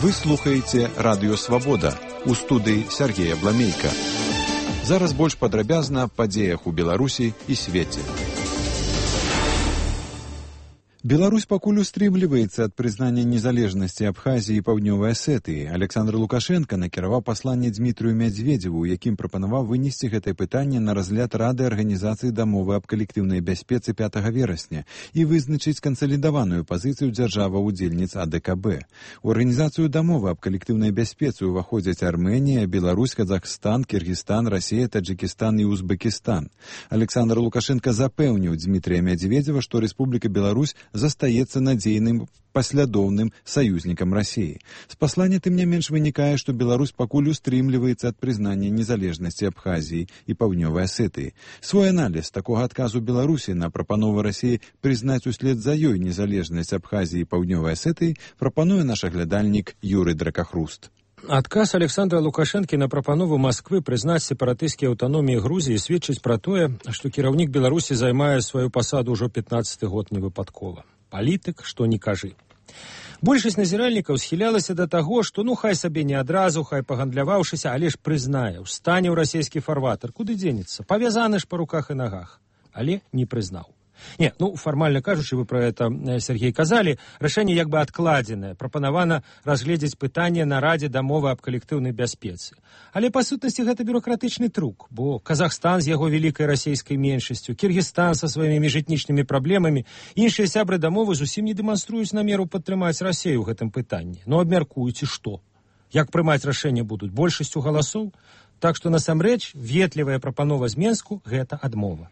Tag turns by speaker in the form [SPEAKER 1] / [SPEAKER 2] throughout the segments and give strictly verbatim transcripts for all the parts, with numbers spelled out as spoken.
[SPEAKER 1] Вы слухаеце Радыё Свабода. У студыі Сергея Бламейка. Зараз больш падрабязна аб падзеях у Беларусі і свеце. Беларусь пакуль устрымліваецца ад прызнання незалежнасці Абхазіі і Паўднёвай Асетыі. Александр Лукашенко накіраваў пасланне Дмітрыю Мядзведзеву, у якім прапанаваў вынесці гэтае пытанне на разгляд Рады Арганізацыі дамовы аб калектыўнай бяспецы пятага верасня і вызначыць кансалідаваную пазіцыю дзяржаваў-удзельніц А Д К Б. У арганізацыю дамовы аб калектыўнай бяспецы ўваходзяць Армэнія, Беларусь, Казахстан, Кіргізстан, Расія, Таджикістан і Узбекістан. Александр Лукашенко запэўніў Дмітрыя Мядзведзева, што Рэспубліка Беларусь застаецца надзейным паслядоўным саюзнікам Расіі. З паслання тым не менш вынікае, што Беларусь пакуль устрымліваецца ад прызнання незалежнасці Абхазіі і Паўднёвай Асетыі. Свой аналіз такога адказу Беларусі на прапанову Расіі прызнаць услед за ёй незалежнасць Абхазіі і Паўднёвай Асетыі прапануе наш аглядальнік Юрый Дракахруст.
[SPEAKER 2] Адказ Александра Лукашэнкі на прапанову Масквы прызнаць сепаратысцкія аўтаноміі Грузіі сведчыць пра тое, што кіраўнік Беларусі займае сваю пасаду ўжо пятнаццаты год невыпадкова. Палітык, што не кажы. Большасць назіральнікаў схілялася да таго, што ну хай сабе не адразу, хай пагандляваўшыся, але ж прызнае, устане ў расійскі фарватар, куды дзенецца, павязаны ж па руках і нагах, але не прызнаў. Не, ну, фармальна кажучы, вы пра гэта, Сергей, казалі, рашэнне як бы адкладзенае, прапанавана разгледзець пытанне на Радзе дамовы аб калектыўнай бяспецы. Але, па сутнасці, гэта бюрократычны трук, бо Казахстан з яго вялікай расійскай меншасцю, Кіргізстан са сваімі міжэтнічнымі праблемамі, іншыя сябры дамовы зусім не дэманструюць намеру падтрымаць Расію ў гэтым пытанні. Ну, абмяркуюць, і што? Як прымаць рашэнне будуць? Большасцю галасоў? Так што, насамрэч, ветлівая прапанова з Менску – гэта адмова.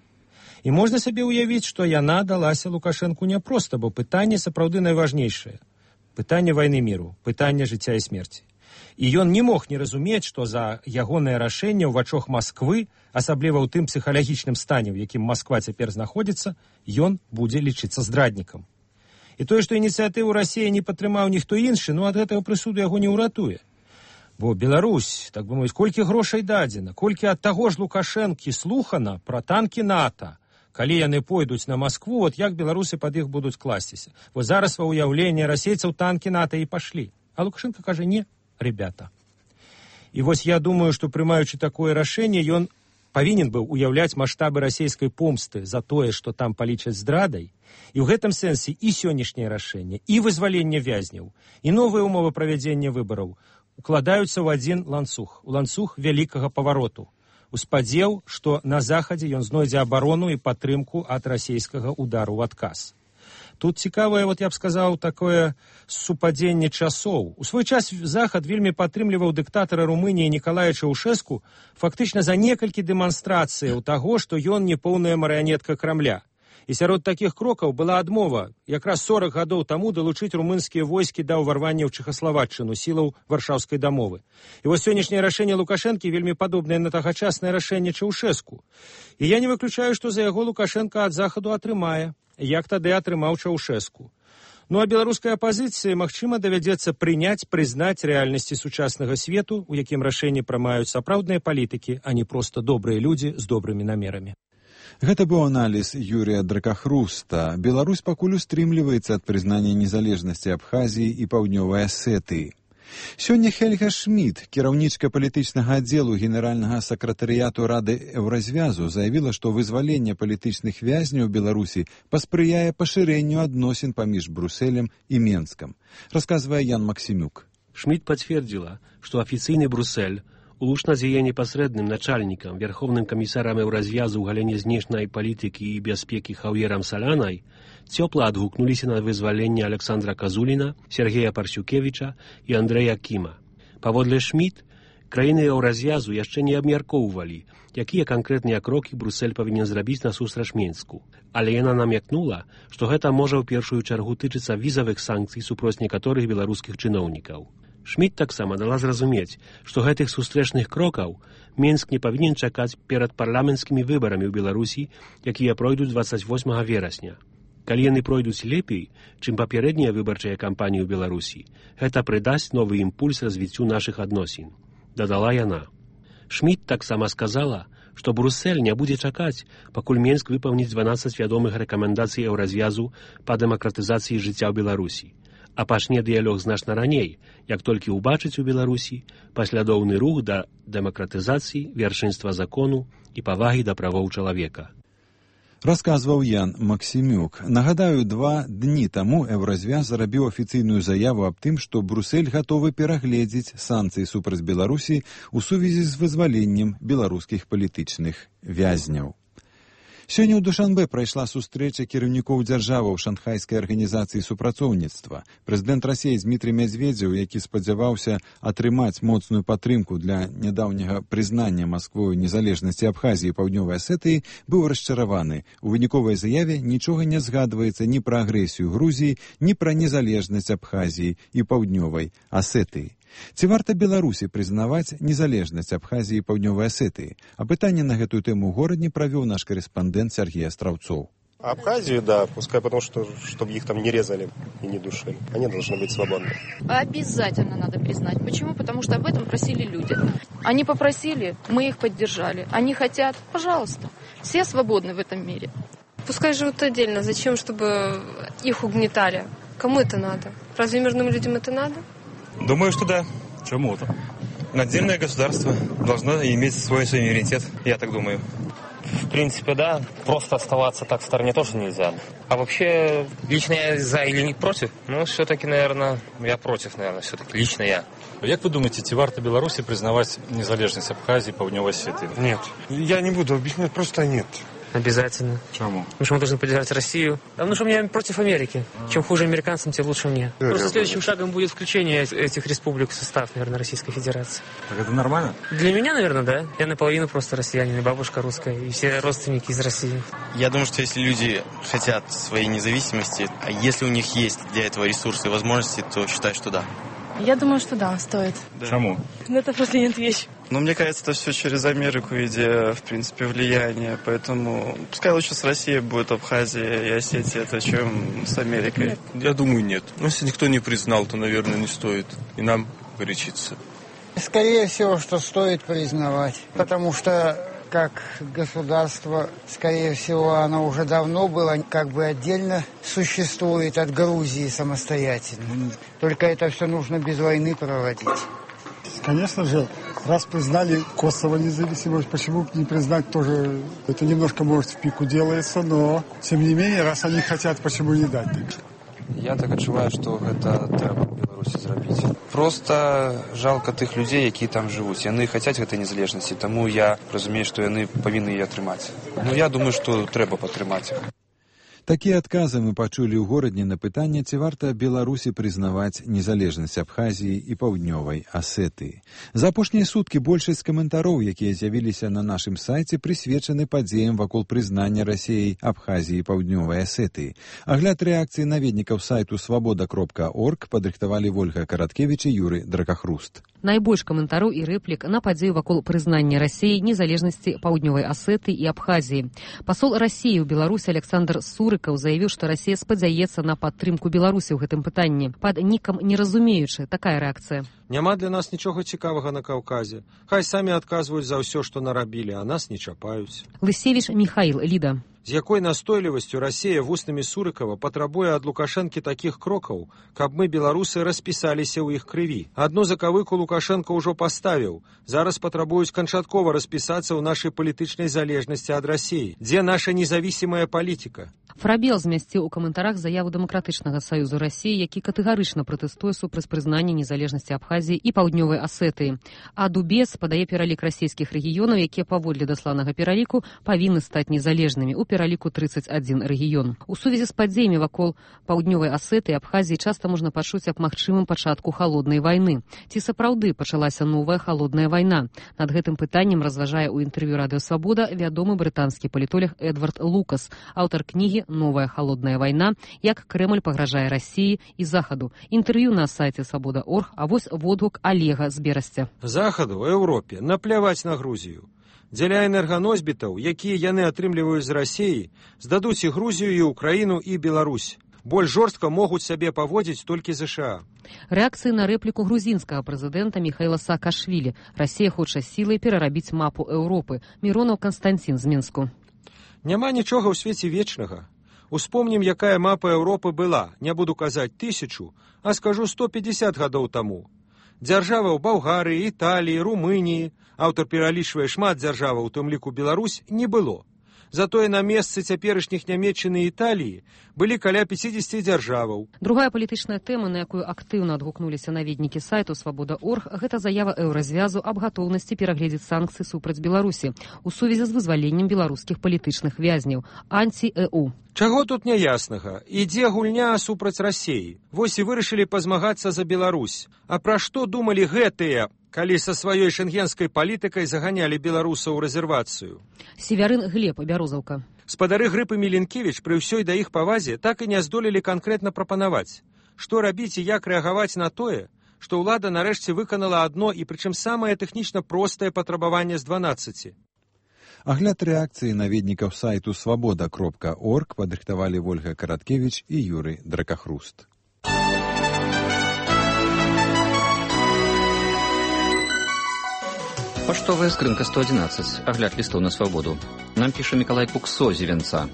[SPEAKER 2] І можна сабе ўявіць, што яна далася Лукашэнку няпроста, бо пытанне сапраўды найважнейшае. Пытанне вайны міру, пытанне жыцця і смерці. І ён не мог не разумець, што за ягонае рашэнне ў вачах Масквы, асабліва ў тым псіхалагічным стане, у якім Масква цяпер знаходзіцца, ён будзе лічыцца здраднікам. І тое, што ініцыятыву Расіі не падтрымаў ніхто іншы, ну ад гэтага прысуду яго не ўратуе. Бо Беларусь, так бы мовіць, колькі грошай дадзена, колькі ад таго ж Лукашэнкі слухана пра танкі НАТО, калі яны пойдуць на Маскву, от як беларусы пад іх будуць класціся. Вось зараз ва ўяўленне расейцаў танкі НАТО і пашлі. А Лукашенко кажа, не, ребята. І вось я думаю, што прымаючы такое рашэнне, ён павінен быў уяўляць маштабы расійскай помсты за тое, што там палічаць здрадай. І ў гэтым сэнсе і сённяшняе рашэнне, і вызваленне вязняў, і новыя ўмовы правядзення выбараў укладаюцца ў адзін ланцуг, у ланцуг вялікага павароту. У спадзеў, што на захадзе ён знойдзе абарону і падтрымку ад расійскага удару ў адказ. Тут цікавае, вот я б сказаў, такое супадзенне часоў. У свой час Захад вельмі падтрымліваў дыктатара Румыніі Нікалая Чаўшэску фактычна за некалькі дэманстрацыяў таго, што ён не поўная марыянетка Крамля. І сярод такіх крокаў была адмова якраз сорак гадоў таму далучыць румынскія войскі да ўварвання ў Чэхаславаччыну сілаў Варшаўскай дамовы. І вось сённяшняе рашэнне Лукашэнкі вельмі падобнае на тагачаснае рашэнне Чаўшэску. І я не выключаю, што за яго Лукашенка ад Захаду атрымае, як тады атрымаў Чаўшэску. Ну а беларускай апазіцыі, магчыма, давядзецца прыняць, прызнаць рэальнасці сучаснага свету, у якім рашэнні прымаюць сапраўдныя палітыкі, а не проста добрыя людзі з добрымі намерамі.
[SPEAKER 1] Гэта быў аналіз Юрія Дракахруста. Беларусь пакуль устрымліваецца ад прызнання незалежнасці Абхазіі і Паўднёвай Асетыі. Сёння Хельга Шмід, кіраўнічка палітычнага аддзелу генеральнага сакратарыяту Рады Еўразвязу, заявіла, што вызваленне палітычных вязняў у Беларусі паспрыяе пашырэнню адносін паміж Брусэлем і Менскам. Расказвае Ян Максімюк.
[SPEAKER 3] Шмід пацвердзіла, што афіцыйны Брусэль улучна з яе непасрэдным начальнікам, верховным камісарам Еўразвязу ў галіне знешняй палітыкі і бяспекі Хаўерам Салянай, цёпла адгукнуліся на вызваленне Александра Казуліна, Сергея Парсюкевіча і Андрэя Кіма. Паводле Шмід, краіны Еўразвязу яшчэ не абмяркоўвалі, якія канкрэтныя крокі Брусэль павінен зрабіць насустрач Менску. Але яна намякнула, што гэта можа ў першую чаргу тычыцца візавых санкцый супроць некаторых беларускіх чыноўнікаў. Шмід таксама дала зразумець, што гэтых сустрэчных крокаў Менск не павінен чакаць перад парламенцкімі выбарамі ў Беларусі, якія пройдуць дваццаць восьмага верасня. Калі яны пройдуць лепей, чым папярэднія выбарчыя кампаніі ў Беларусі, гэта прыдасць новы імпульс развіццю нашых адносін, дадала яна. Шмід таксама сказала, што Брусэль не будзе чакаць, пакуль Менск выпаўніць дванаццаць вядомых рэкамендацый Еўразвязу па дэмакратызацыі жыцця ў Беларусі, а пачне дыялог значна раней, як толькі ўбачыць у Беларусі паслядоўны рух да дэмакратызацыі, вяршынства закону і павагі да правоў чалавека.
[SPEAKER 1] Расказваў Ян Максімюк. Нагадаю, два дні таму Еўразвяз зарабіў афіцыйную заяву аб тым, што Брюссель гатовы перагледзець санкцыі супраць Беларусі ў сувязі з вызваленнем беларускіх палітычных вязняў. Сёння ў Душанбе прайшла сустрэча кіраўнікоў дзяржаваў Шанхайскай арганізацыі супрацоўніцтва. Прэзідэнт Расіі Дмітрый Медведзеў, які спадзяваўся атрымаць моцную падтрымку для нядаўняга прызнання Масквою незалежнасці Абхазіі і Паўднёвай Асетыі, быў расчараваны. У выніковай заяве нічога не згадваецца ні пра агрэсію Грузіі, ні пра незалежнасць Абхазіі і Паўднёвай Асетыі. Ці варта Беларусі прызнаваць незалежнасць Абхазіі і Паўднёвай Асетыі? А пытанне на гэтую тэму ў горадні правёў наш корэспандэнт Сергей Астраўцоў.
[SPEAKER 4] Абхазию, да, пускай потому что, чтобы их там не резали и не душили. Они должны быть свободны.
[SPEAKER 5] Обязательно надо признать. Почему? Потому что об этом просили люди. Они попросили, мы их поддержали. Они хотят, пожалуйста. Все свободны в этом мире.
[SPEAKER 6] Пускай живут отдельно. Зачем, чтобы их угнетали? Кому это надо? Разве мирным людям это надо?
[SPEAKER 7] Думаю, что да. Чему-то. Отдельное государство должно иметь свой суверенитет, я так думаю.
[SPEAKER 8] В принципе, да. Просто оставаться так в стороне тоже нельзя. А вообще, лично я за или не против? Ну, все-таки, наверное, я против, наверное, все-таки. Лично я.
[SPEAKER 9] Як вы думаете, ці варта Беларусі признавать незалежность Абхазии и Паўднёвай Осетии?
[SPEAKER 10] Нет. Я не буду объяснять, просто нет.
[SPEAKER 8] Обязательно.
[SPEAKER 9] Чему?
[SPEAKER 8] Потому что мы должны поддержать Россию. Потому что я против Америки. Чем хуже американцам, тем лучше мне. Просто следующим шагом будет включение этих республик в состав, наверное, Российской Федерации.
[SPEAKER 9] Так это нормально?
[SPEAKER 8] Для меня, наверное, да. Я наполовину просто россиянин, и бабушка русская, и все родственники из России.
[SPEAKER 11] Я думаю, что если люди хотят своей независимости, а если у них есть для этого ресурсы и возможности, то считаю, что да.
[SPEAKER 12] Я думаю, что да, стоит.
[SPEAKER 9] Да. Чему?
[SPEAKER 12] Ну, это просто нет вещи.
[SPEAKER 13] Ну, мне кажется, это все через Америку, идея, в принципе, влияния. Поэтому пускай лучше с Россией будет Абхазия и Осетия, это чем с Америкой.
[SPEAKER 14] Нет. Я думаю, нет. Но если никто не признал, то, наверное, не стоит и нам горячиться.
[SPEAKER 15] Скорее всего, что стоит признавать. Потому что как государство, скорее всего, оно уже давно было как бы отдельно существует от Грузии самостоятельно. Только это все нужно без войны проводить.
[SPEAKER 16] Конечно же, раз признали Косово независимость, почему не признать тоже? Это немножко, может, в пику делается, но, тем не менее, раз они хотят, почему не дать?
[SPEAKER 17] Я так адчуваю, што гэта трэба ў Беларусі зрабіць. Проста жалка тых людзей, якія там жывуць. Яны хацяць гэтай незалежнасці, таму я разумею, што яны павінны яе атрымаць. Ну, я думаю, што трэба падтрымаць іх.
[SPEAKER 1] Такія адказы мы пачулі ў горадні на пытанне, ці варта Беларусі прызнаваць незалежнасць Абхазіі і Паўднёвай Асетыі. За апошнія суткі большасць каментароў, якія з'явіліся на нашым сайце, прысвечаны падзеям вакол прызнання Расіяй Абхазіі і Паўднёвай Асетыі. Агляд рэакцыі наведнікаў сайту свабода кропка орг падрыхтавалі Вольга Караткевіч і Юры Дракахруст.
[SPEAKER 18] Найбольш каментараў і рэплік на падзею вакол прызнання Расіі незалежнасці Паўднёвай Асетыі і Абхазіі. Пасол Расіі ў Беларусі Александр Сурыкаў заявіў, што Расія спадзяецца на падтрымку Беларусі ў гэтым пытанні. Пад нікам не разумеючы, такая рэакцыя.
[SPEAKER 2] Няма для нас нічога цікавага на Каўказе. Хай самі адказваюць за ўсё, што нарабілі, а нас не чапаюць.
[SPEAKER 18] Лысевіч Михаил, Ліда.
[SPEAKER 2] З якой настойлівасцю Расія вуснамі Сурыкава патрабуе ад Лукашэнкі такіх крокаў, каб мы, беларусы, распісаліся ў іх крыві. Адну закавыку Лукашэнка ўжо паставіў. Зараз патрабуюць канчаткова распісацца ў нашай палітычнай залежнасці ад Расіі. Дзе наша незавісімая палітыка?
[SPEAKER 18] Фрабел змясціў у каментарах заяву Дэмакратычнага саюзу Расіі, які катэгарычна пратэстуе супраць прызнання незалежнасці Абхазіі і Паўднёвай Асетыі. А Дубец падае пералік расійскіх рэгіёнаў, якія паводле дасланага пераліку павінны стаць незалежнымі ў пераліку трыццаць адзін рэгіён. У сувязі з падзеямі вакол Паўднёвай Асетыі і Абхазіі часта можна пачуць аб магчымым пачатку халоднай вайны. Ці сапраўды пачалася новая халодная вайна? Над гэтым пытаннем разважае ў інтэрв'ю Радыё Свабода вядомы брытанскі палітолог Эдвард Лукас, аўтар кнігі «Новая холодная война. Як Кремль пагражае России и Заходу». Интервью на сайте свобода точка орг, а вось водгук Олега з Берасця.
[SPEAKER 2] Захаду, Еўропе, напляваць на Грузію. Дзеля энерганосьбітаў, якія яны атрымліваюць з Расіі, здадуць і Грузію, і Украіну, і Беларусь. Больш жорстка могуць сябе паводзіць толькі ЗША.
[SPEAKER 18] Рэакцыі на рэпліку грузінскага прэзідэнта Міхаіла Саакашвілі. Расія хоча сілай перарабіць мапу Еўропы. Міронаў Канстанцін з Мінску.
[SPEAKER 2] Няма нічога ў свеце вечнага. Успомнім, якая мапа Еўропы была, не буду казаць тысячу, а скажу сто пятьдесят гадоў таму. Дзяржава ў Балгарыі, Італіі, Румыніі, аўтар пералічвае шмат дзяржаваў, у тым ліку Беларусь, не было. Затое на месцы цяперашніх Нямецчыны і Італіі былі каля пятьдесят дзяржаваў.
[SPEAKER 18] Другая палітычная тэма, на якую актыўна адгукнуліся наведнікі сайту свабода точка орг, гэта заява еўразвязу аб гатоўнасці перагледзець санкцыі супраць Беларусі у сувязі з вызваленнем беларускіх палітычных вязняў, анці-э у.
[SPEAKER 2] Чаго тут няяснага? Ідзе гульня супраць Расіі. Вось і вырашылі пазмагацца за Беларусь. А пра што думалі гэтыя, калі са сваёй шэнгенскай палітыкай заганялі беларусаў у рэзервацыю?
[SPEAKER 18] Севярын Глеб, Бярозаўка.
[SPEAKER 2] Спадары Грып і Міленкевіч пры ўсёй да іх павазе так і не здолелі канкрэтна прапанаваць. Што рабіць і як рэагаваць на тое, што ўлада нарэшце выканала адно і прычым самае тэхнічна простае патрабаванне з дванаццаці.
[SPEAKER 1] Агляд рэакцыі наведнікаў сайту свабода кропка орг падрыхтавалі Вольга Караткевіч і Юрый Дракахруст.
[SPEAKER 19] Паштовая скрынка сто одиннадцать. Агляд лістоў на свабоду. Нам піша Мікалай Куксо з Івенца.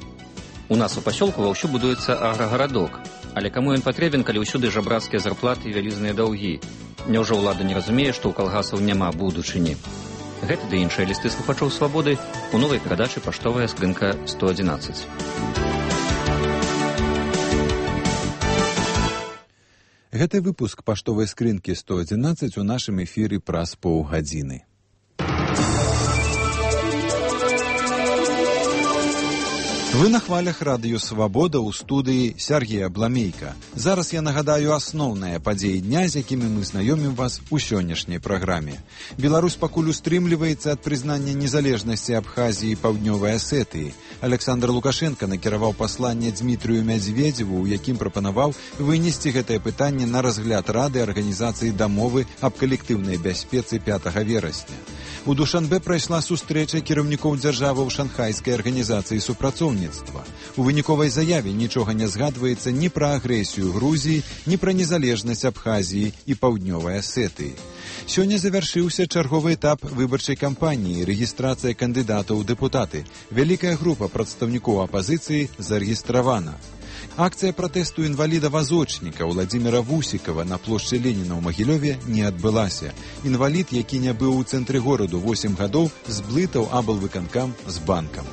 [SPEAKER 19] У нас у пасёлку ваўсю будуецца аграгарадок. Але каму ён патрэбен, калі ўсюды жабрацкія зарплаты і вялізныя даўгі? Няўжо ўлада не разумее, што ў калгасаў няма будучыні? Гэты ды іншыя лісты слухачоў свабоды у новай перадачы «Паштовая скрынка сто одиннадцать».
[SPEAKER 1] Гэты выпуск «Паштовай скрынкі сто одиннадцать» у нашым эфіры праз паўгадзіны. Вы на хвалях радыё «Свабода» ў студыі Сергея Бламейка. Зараз я нагадаю асноўныя падзеі дня, з якімі мы знаёмім вас у сённяшняй праграме. Беларусь пакуль устрымліваецца ад прызнання незалежнасці Абхазіі і Паўднёвай Асетыі. Александр Лукашенко накіраваў пасланне Дзмітрыю Мядзведзеву, у якім прапанаваў вынесці гэтае пытанне на разгляд Рады Арганізацыі дамовы аб калектыўнай бяспецы пятага верасня. У Душанбе прайшла сустрэча кіраўнікоў дзяржаваў Шанхайскай арганізацыі супрацоўніцтва. У выніковай заяве нічога не згадваецца ні пра агрэсію Грузіі, ні пра незалежнасць Абхазіі і Паўднёвай Асетыі. Сёння завяршыўся чарговы этап выбарчай кампаніі, рэгістрацыя кандыдатаў у дэпутаты. Вялікая група прадстаўнікоў апазіцыі зарэгістравана. Акцыя пратэсту інваліда-вазочніка Владзіміра Вусікава на плошчы Леніна ў Магілёве не адбылася. Інвалід, які не быў у цэнтры гораду восем гадоў, зблытаў аблвыканкам з банкам.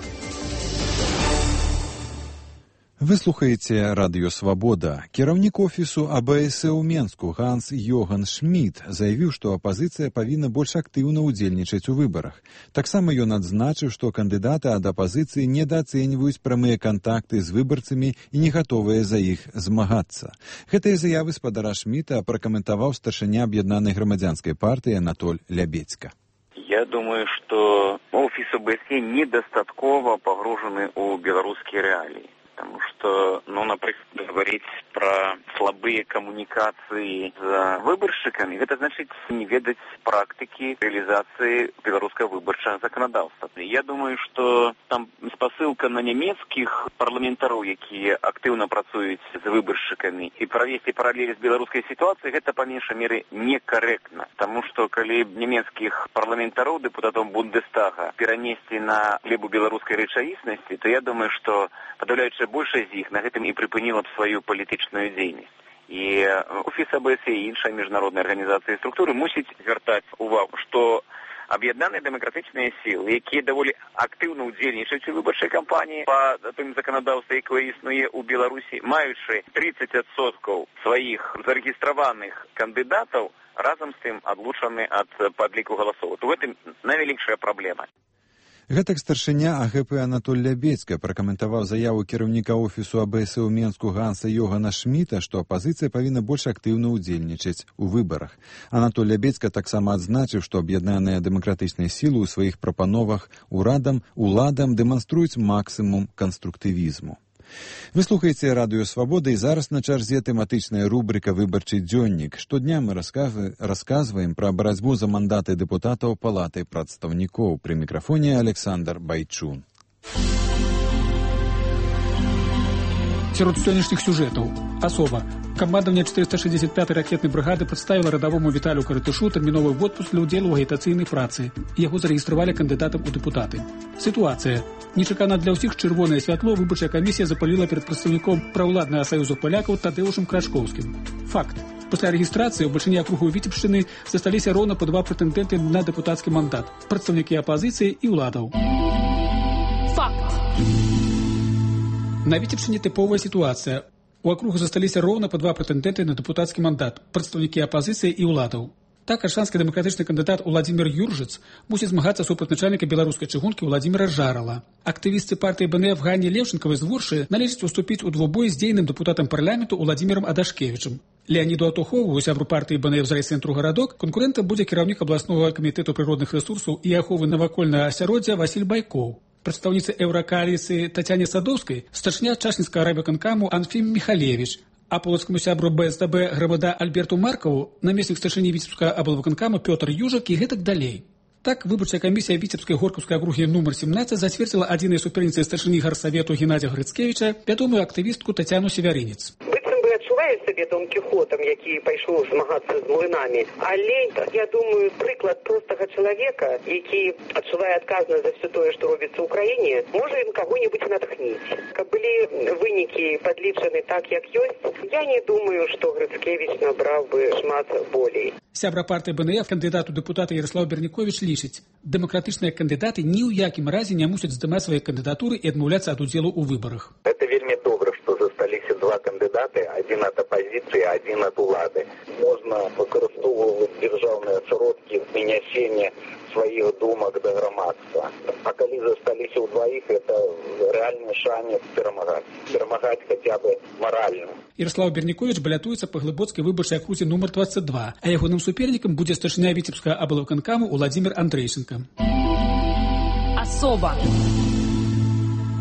[SPEAKER 1] Вы слухаеце радыё «Свабода». Кіраўнік офісу а бэ эс э ў Менску Ганс Йоган Шмідт заявіў, што апазіцыя павінна больш актыўна ўдзельнічаць у выбарах. Таксама ён адзначыў, што кандыдаты ад апазіцыі недаацэньваюць прамыя кантакты з выбарцамі і не гатовыя за іх змагацца. Гэтыя заявы спадара Шмідта пракаментаваў старшыня аб'яднанай грамадзянскай партыі Анатоль Лябедзька.
[SPEAKER 20] Я думаю, что офис о бэ эс е недостатково погружены у белорусские реалии. Потому что, ну, например, говорить про слабые коммуникации с выборщиками, это значит не ведать практики реализации белорусского выборчего законодательства. Я думаю, что там спосылка на немецких парламентаров, которые активно працуют с выборщиками, и провести параллели с белорусской ситуацией, это по меньшей мере некорректно. Потому что, коли немецких парламентаров, депутатов Бундестага, перенести на глебу белорусской речаисности, то я думаю, что подавляющая большая з іх на гэтым і прыпыніла б сваю палітычную дзейнасць. І офіс а бэ эс е і іншыя міжнародныя арганізацыі і структуры мусіць звяртаць увагу, што аб'яднаныя дэмакратычныя сілы, якія даволі актыўна ўдзельнічаюць у выбарчай кампаніі па тым заканадаўстве, якое існуе ў Беларусі, маючы тридцать адсоткаў сваіх зарэгістраваных кандыдатаў, разам з тым адлучаны ад падліку галасоў. То в этом найвялікшая праблема.
[SPEAKER 1] Гэтак старшыня а гэ пэ Анатоль Лябедзька пракаментаваў заяву кіраўніка офісу а бэ эс э ў Менску Ганса Йогана Шмідта, што апазіцыя павінна больш актыўна ўдзельнічаць у выбарах. Анатоль Лябедзька таксама адзначыў, што аб'яднаныя дэмакратычныя сілы ў сваіх прапановах урадам, уладам дэманструюць максімум канструктывізму. Вы слухаеце радыё «Свабода» і зараз на чарзе тэматычная рубрика «Выбарчы дзённік». Штодня мы расказваем пра барацьбу за мандаты дэпутатаў Палаты прадстаўнікоў. Пры мікрафоне Александр Байчун.
[SPEAKER 21] Сярод сённяшніх сюжэтаў асоба, Камандаванне четыреста шестьдесят пятой ракетнай бригады прадставіла радавому Віталію Каратышу тэрміновы водпуск для ўдзелу ў агітацыйнай працы. Яго зарэгістравалі кандыдатам у дэпутаты. Сітуацыя. Нечакана для ўсіх чырвонае святло выбарчая камісія запаліла перад прадстаўніком праўладнага саюзу палякаў Тадэўшам Крачкоўскім. Факт. Пасля рэгістрацыі ў бальшыні акругу Віцебшчыны засталіся роўна па два прэтэндэнты на дэпутацкі мандат – прадстаўнікі апазіцыі і ўладаў.
[SPEAKER 12] Факт.
[SPEAKER 21] На Віцебшчыне тыповая сітуацыя. У акругу засталіся роўна па два прэтэндэнты на дэпутацкі мандат – прадстаўнікі апазіцыі і ўладаў. Так, аршанскі дэмакратычны кандыдат Уладзімір Юржыц мусіць змагацца супраць начальніка беларускай чыгункі Уладзіміра Жарала. Актывісты партыі БНФ Ганні Леўчынкавай з Воршы належыць уступіць у двубой з дзейным дэпутатам парламенту Уладзімірам Адашкевічам. Леаніду Атухову, сябру партыі БНФ з райцэнтру гарадок, конкурэнтам будзе кіраўнік абласнога камітэту прыродных рэсурсаў і аховы навакольнага асяроддзя Васіль Байкоў. Прадстаўніцы еўракааліцыі Тацяне Садоўскай старшыня часніцкага райвыканкаму Анфім Міхалевіч, а полацкаму сябру БСДБ грамада Альберту Маркаву намеснік старшыні Віцебскага аблвыканкама Пётр Южак і гэтак далей. Так, выбарчая камісія Віцебскай горкаўскай акругі нумар семнадцать зацвердзіла адзінай суперніцай старшыні гарсавету Геннадзя Грыцкевіча вядомую актывістку Тацяну Севярынец.
[SPEAKER 22] Адчуваю сябе Дон Кіхотам, які пайшоў змагацца з млынамі, але я думаю, прыклад простага чалавека, які адчувае адказнасць за ўсё тое, што робіцца ў краіне, можа ім каго-небудзь натхніць. Каб былі вынікі падлічаны так, як ёсць, я не думаю, што Грыцкевіч набраў бы шмат болей.
[SPEAKER 21] Сябра партыі БНФ, кандыдат у дэпутаты Ярослаў Берніковіч лічыць, дэмакратычныя кандыдаты ні ў якім разе не мусяць здымаць свае кандыдатуры і адмаўляцца ад удзелу ў выбарах.
[SPEAKER 23] Это вельмі добра, што засталіся два кандыдаты, адзін ад апазіцыі, адзін ад улады. Можна выкарыстоўваць дзяржаўныя сродкі змяняцення сваіх думак да грамадства. А калі засталіся ў дваіх, это рэальны шанец перамагаць. Перамагаць хаця бы маральна.
[SPEAKER 21] Ярослаў Берніковіч балятуецца па глыбоцкай выбарчай акрузе нумар двадцать два, а ягоным супернікам будзе старшыня Віцебскага аблвыканкаму Уладзімір Андрейченко.
[SPEAKER 12] Асоба.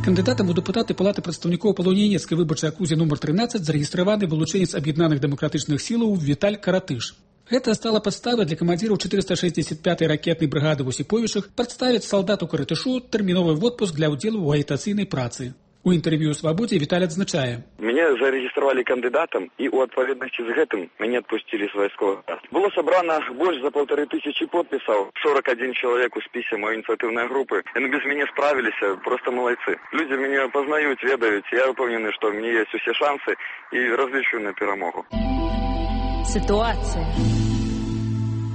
[SPEAKER 21] Кандыдатам у дэпутаты палаты прадстаўнікоў па Лаўнінецкай выбарчай акрузе нумар трынаццаць зарэгістраваны вылучэнец аб'яднаных дэмакратычных сілаў Віталь Каратыш. Гэта стала падставай для камандзіраў четыреста шестьдесят пятой ракетнай брыгады ў Осіповічах прадставіць салдату Каратышу тэрміновы водпуск для ўдзелу ў агітацыйнай працы. У інтэрв'ю «Свабодзе» Віталь адзначае.
[SPEAKER 24] Меня зарегистрировали кандидатом, и у отповедности с этим меня отпустили с войсков. Было собрано больше за полторы тысячи подписей, сорок один человек у списи моей инициативной группы. Они без меня справились, просто молодцы. Люди меня познают, ведают, я уверен, что у меня есть все шансы и различу на перемогу.
[SPEAKER 12] Ситуация.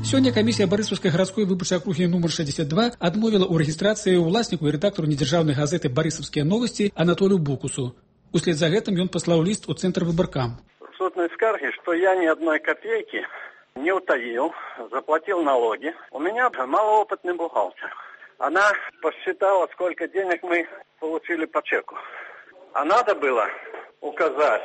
[SPEAKER 21] Сёння камісія Барысаўскай гарадской выбарчай акругі нумар шестьдесят два адмовіла ў рэгістрацыі ўласніку і рэдактару недзяржаўнай газеты «Барысаўскія новости» Анатолію Букусу. Услед за гэтым ён паслаў ліст у цэнтр выбаркам.
[SPEAKER 25] Сутной скарги, что я ни одной копейки не утаил, заплатил налоги. У меня малоопытный бухгалтер. Она посчитала, сколько денег мы получили по чеку. А надо было указать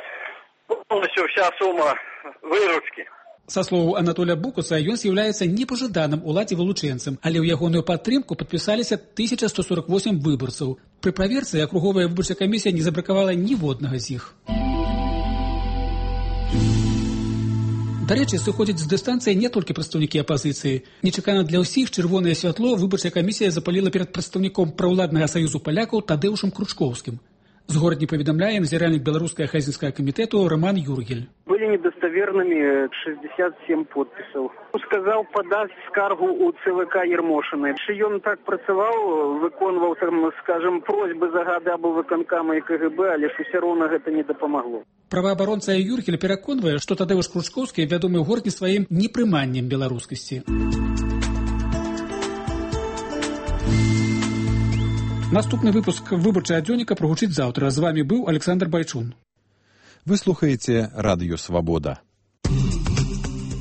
[SPEAKER 25] полностью вся сумма выручки.
[SPEAKER 21] Са словаў Анатолія Букуса, ён з'яўляецца непажаданым уладзе вылучэнцам, але ў ягоную падтрымку падпісаліся тысяча сто сорок восемь выбарцаў. Пры праверцы акруговая выбарчая камісія не забракавала ніводнага з іх. Дарэчы, сыходзяць з дыстанцыі не толькі прадстаўнікі апазіцыі. Нечакана для ўсіх чырвонае святло выбарчая камісія запаліла перад прадстаўніком праўладнага саюзу палякаў Тадэўшам Кручкоўскім. З горадні паведамляе назіральнік беларускага хазінскага камітэту Роман Юргель.
[SPEAKER 26] Были недостоверными шестьдесят семь подписов. Сказал подать скаргу у ЦВК Ермошиной. Ён так працаваў, выконваў, там, скажем, просьбы загады аблвыканкама і КГБ, але ж усё роўна гэта не дапамагло.
[SPEAKER 21] Праваабаронца Юргель пераконвае, што Тадэўш Кручкоўскі вядомы ў горадні сваім непрыманнем беларускасці. Наступны выпуск выбарчага дзённіка прагучыць заўтра. З вами быў Александр Байчун.
[SPEAKER 1] Вы слухаеце радыё «Свабода».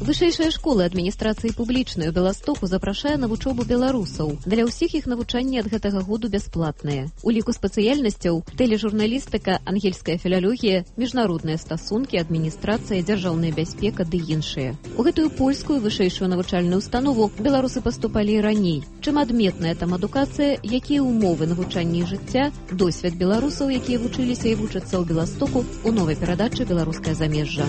[SPEAKER 27] Вышэйшая школа адміністрацыі публічнай у Беластоку запрашае на вучобу беларусаў. Для ўсіх іх навучанне ад гэтага году бясплатнае. У ліку спецыяльнасцяў тэлежурналістыка, ангельская філалогія, міжнародныя стасункі, адміністрацыя, дзяржаўная бяспека ды іншыя. У гэтую польскую вышэйшую навучальную установу беларусы паступалі і раней. Чым адметная там адукацыя, якія ўмовы навучання і жыцця, досвед беларусаў, якія вучыліся і вучацца ў Беластоку, у новай перадачы «Беларускае замежжа».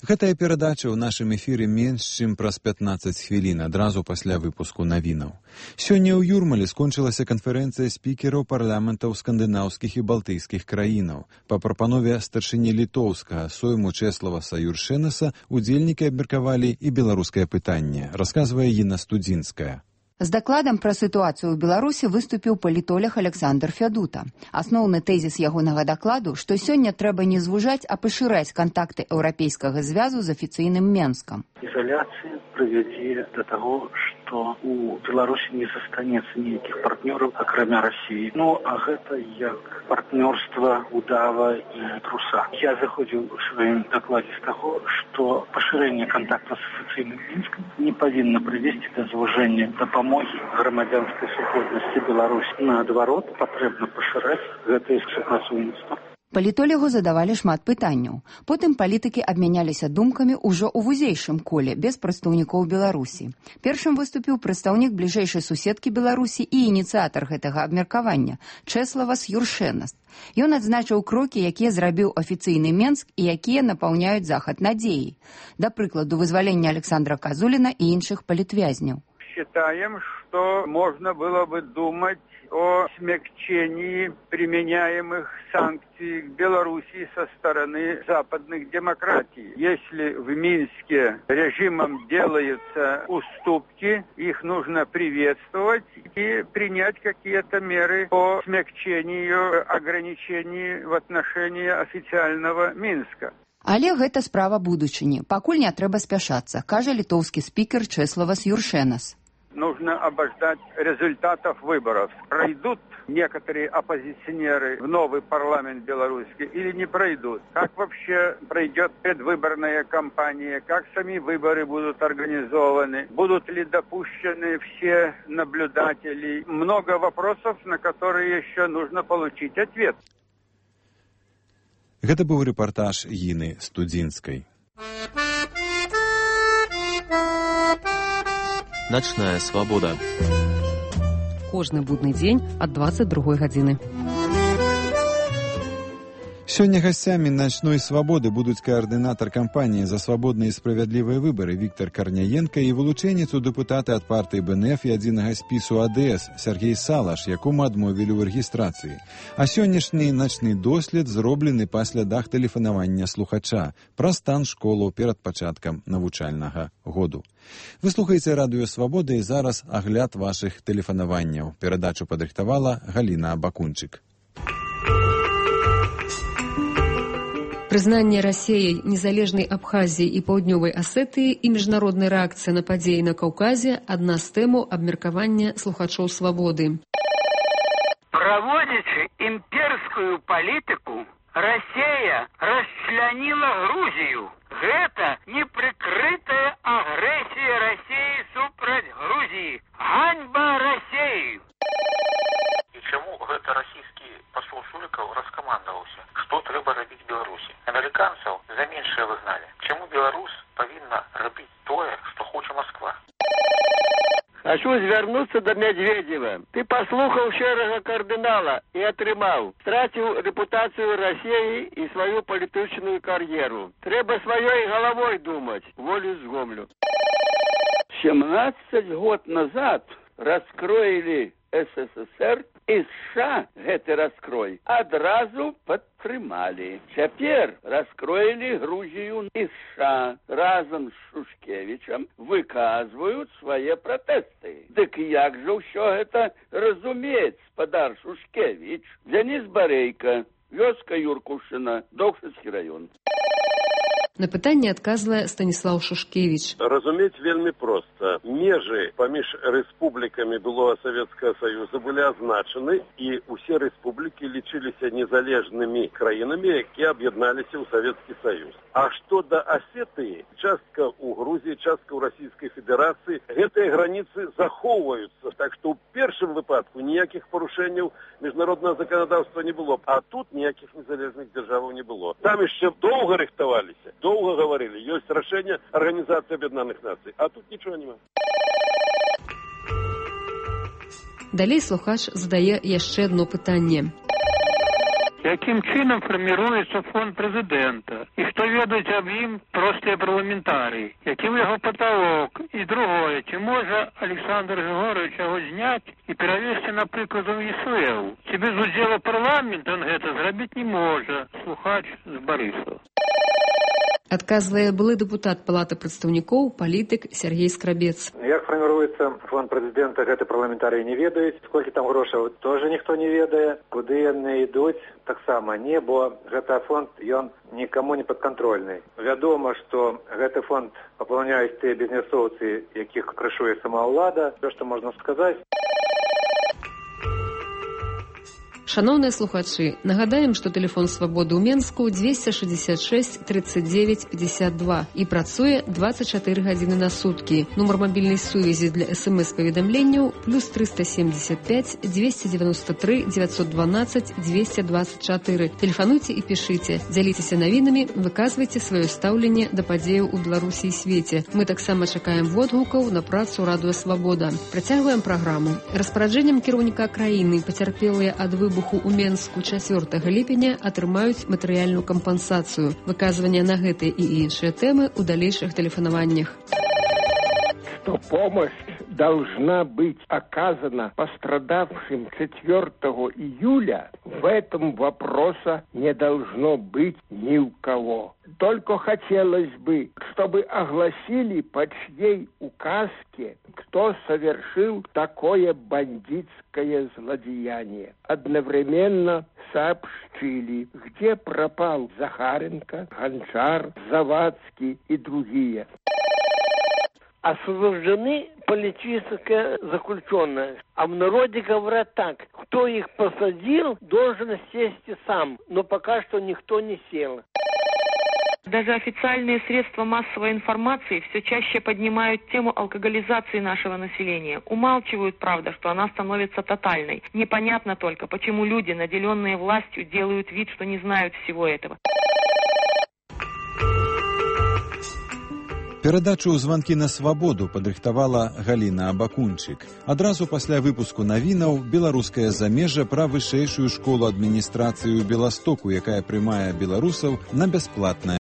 [SPEAKER 1] Гэтая перадача ў нашым эфіры менш, чым праз пятнаццаць хвілін, адразу пасля выпуску навінаў. Сёння ў Юрмале скончылася канферэнцыя спікераў парламентаў скандынаўскіх і балтыйскіх краінаў. Па прапанове старшыні літоўскага сойму Чэславаса Юршэнаса удзельнікі абмеркавалі і беларускае пытанне, расказвае Інна Студзінская.
[SPEAKER 3] З дакладам пра сітуацыю ў Беларусі выступіў палітолог Александр Фядута. Асноўны тэзіс ягонага дакладу, што сёння трэба не звужаць, а пашыраць кантакты еўрапейскага звязу з афіцыйным Менскам.
[SPEAKER 25] Изоляция приведет до того, что у Беларуси не застанется никаких партнеров, окромя России. Ну, а это как партнерство удава и труса. Я заходил в своем докладе с того, что поширение контактов с официальным Минском не повинно привести до звужения допомоги громадянской супольности Беларуси. Наоборот, потребно поширать это супрацоўніцтва.
[SPEAKER 3] Палітолягу задавалі шмат пытанняў. Потым палітыкі абмяняліся думкамі ўжо ў вузейшым коле, без прадстаўнікоў Беларусі. Першым выступіў прадстаўнік бліжэйшай суседкі Беларусі і ініцыятар гэтага абмеркавання Чэславас Юршэнас. Ён адзначыў крокі, якія зрабіў афіцыйны Менск і якія напаўняюць захад надзеяй. Да прыкладу, вызвалення Александра Казуліна і іншых палітвязняў.
[SPEAKER 4] Считаем, что можно было бы думать о смягчении применяемых санкций к Белоруссии со стороны западных демократий. Если в Минске режимом делаются уступки, их нужно приветствовать и принять какие-то меры по смягчению ограничений в отношении официального Минска.
[SPEAKER 3] Але гэта справа будучыні. Пакуль не трэба спяшацца, кажа літоўскі спікер Чэславас Юршэнас.
[SPEAKER 4] Нужно обождать результатов выборов. Пройдут некоторые оппозиционеры в новый парламент белорусский или не пройдут? Как вообще пройдет предвыборная кампания? Как сами выборы будут организованы? Будут ли допущены все наблюдатели? Много вопросов, на которые еще нужно получить ответ.
[SPEAKER 1] Гэта быў рэпартаж Іны Студзінскай.
[SPEAKER 5] Начная свабода.
[SPEAKER 18] Кожны будны дзень ад дваццаць другой гадзіны.
[SPEAKER 1] Сёння гасцямі начной свабоды будуць каардынатар кампаніі за свабодныя і справядлівыя выбары Віктор Карняенка і вылучэнец у дэпутаты ад партыі Бэ Эн Эф і адзінага спісу А Дэ Эс Сергей Салаш, якому адмовілі ў рэгістрацыі. А сённяшні начны дослед зроблены па слядах тэлефанавання слухача пра стан школаў перад пачаткам навучальнага году. Вы слухаеце радыё Свабода і зараз агляд вашых тэлефанаванняў. Перадачу падрыхтавала Галіна Бакунчык.
[SPEAKER 18] Прызнанне Расіяй незалежнай Абхазіі і Паўднёвай Асетыі і міжнародная рэакцыя на падзеі на Каўказе – адна з тэмаў абмеркавання слухачоў Свабоды.
[SPEAKER 6] Праводзячы імперскую палітыку, Расія расчляніла Грузію. Гэта непрыкрытая агрэсія Расіі супраць Грузіі. Ганьба Расіі!
[SPEAKER 7] І чаму гэта расійскі пасол Шулікаў раскамандаваўся? Што трэба рабіць Беларусі? Амерыканцаў за меншае выгналі. Чаму Беларусь павінна рабіць тое, што хоча Москва?
[SPEAKER 26] Хочу звярнуцца да Медведева. Ты паслухаў шэрага кардынала і атрымаў. Страціў рэпутацыю Расіі і сваю палітычную кар'еру. Трэба сваёй галавой думаць, волю згомлю. семнадцать год назад раскроілі Эс Эс Эс Эр і США гэты раскрой адразу падтрымалі. Цяпер раскроілі Грузію і США разам з Шушкевічам выказваюць свае пратэсты. Дык як жа ўсё гэта разумець, спадар Шушкевіч? Дзяніс Барейка, вёска Юркушына, Докшыцкі раён.
[SPEAKER 18] На пытанне адказвае Станіслаў Шушкевіч.
[SPEAKER 8] Разумець вельмі проста. Межы паміж рэспублікамі былога Савецкага Саюза былі азначаны, і ўсе рэспублікі лічыліся незалежнымі краінамі, якія аб'ядналіся ў Савецкі Саюз. А што да Асетыі, частка ў Грузіі, частка ў Расійскай Федэрацыі, гэтыя граніцы захоўваюцца. Так што ў першым выпадку ніякіх парушэнняў міжнароднага заканадаўства не было, а тут ніякіх незалежных дзяржаваў не было. Там яшчэ доўга рыхтаваліся. Долго говорили, есть решение Организации Объединенных Наций, а тут ничего нема.
[SPEAKER 18] Далей слухач задае яшчэ одно пытанне.
[SPEAKER 6] якім чынам фарміруецца фонд прэзідэнта і што ведаюць аб ім простыя парламентарыі, які яго паталок. І другое, ці можа Александр Григорович яго зняць і перавесці, напрыклад, у ЕСВ. Ці без удзела парламента он гэта зрабіць не можа. Слухач з Барысава.
[SPEAKER 18] Адказвае былы дэпутат Палаты прадстаўнікоў, палітык Сергей Скрабец.
[SPEAKER 9] Як фарміруецца фонд прэзідэнта, гэты парламентарыі не ведаюць. Сколькі там грошаў, тоже ніхто не ведае. Куды яны ідуць, таксама не, бо гэты фонд, ён нікому не падкантрольны. Вядома, што гэты фонд папаўняюць тыя бізнесоўцы, якіх крышуе сама ўлада. Все, што можна сказаць.
[SPEAKER 18] Шановныя слухачы, нагадаем, што тэлефон свабоды ў Менску дзвесце шэсцьдзесят шэсць тридцать девять пятьдесят два і працуе двадцать чатыры гадзіны на суткі. Нумар мабільнай сувязі для эс эм эс-паведамленняў плюс триста семьдесят пять двести девяносто три девятьсот двенадцать двести двадцать четыре. Тэлефануйце і пішыце, дзяліцеся навінамі, выказвайце сваё стаўленне да падзеяў у Беларусі і свеце. Мы таксама чакаем водгукаў на працу Радыё Свабода. Працягваем праграму. Распараджэннем кіраўніка краіны пацярпелыя ад выбуху у Менску чацвёртага ліпеня атрымаюць матэрыяльную кампенсацыю. Выказванне на гэтыя і іншыя тэмы ў далейшых тэлефанаваннях.
[SPEAKER 10] Что помощь должна быть оказана пострадавшим четвёртого июля, в этом вопроса не должно быть ни у кого. Только хотелось бы, чтобы огласили по чьей указке, кто совершил такое бандитское злодеяние. Одновременно сообщили, где пропал Захаренко, Гончар, Завадский и другие.
[SPEAKER 11] Освобождены политические заключенные. А в народе говорят так: кто их посадил, должен сесть и сам. Но пока что никто не сел.
[SPEAKER 13] Даже официальные средства массовой информации все чаще поднимают тему алкоголизации нашего населения. Умалчивают, правда, что она становится тотальной. Непонятно только, почему люди, наделенные властью, делают вид, что не знают всего этого.
[SPEAKER 1] Перадачу «Званкі на свабоду» падрыхтавала Галіна Абакунчык. Адразу пасля выпуску навінаў беларускае замежжа пра вышэйшую школу адміністрацыі ў Беластоку, якая прымае беларусаў на бясплатнае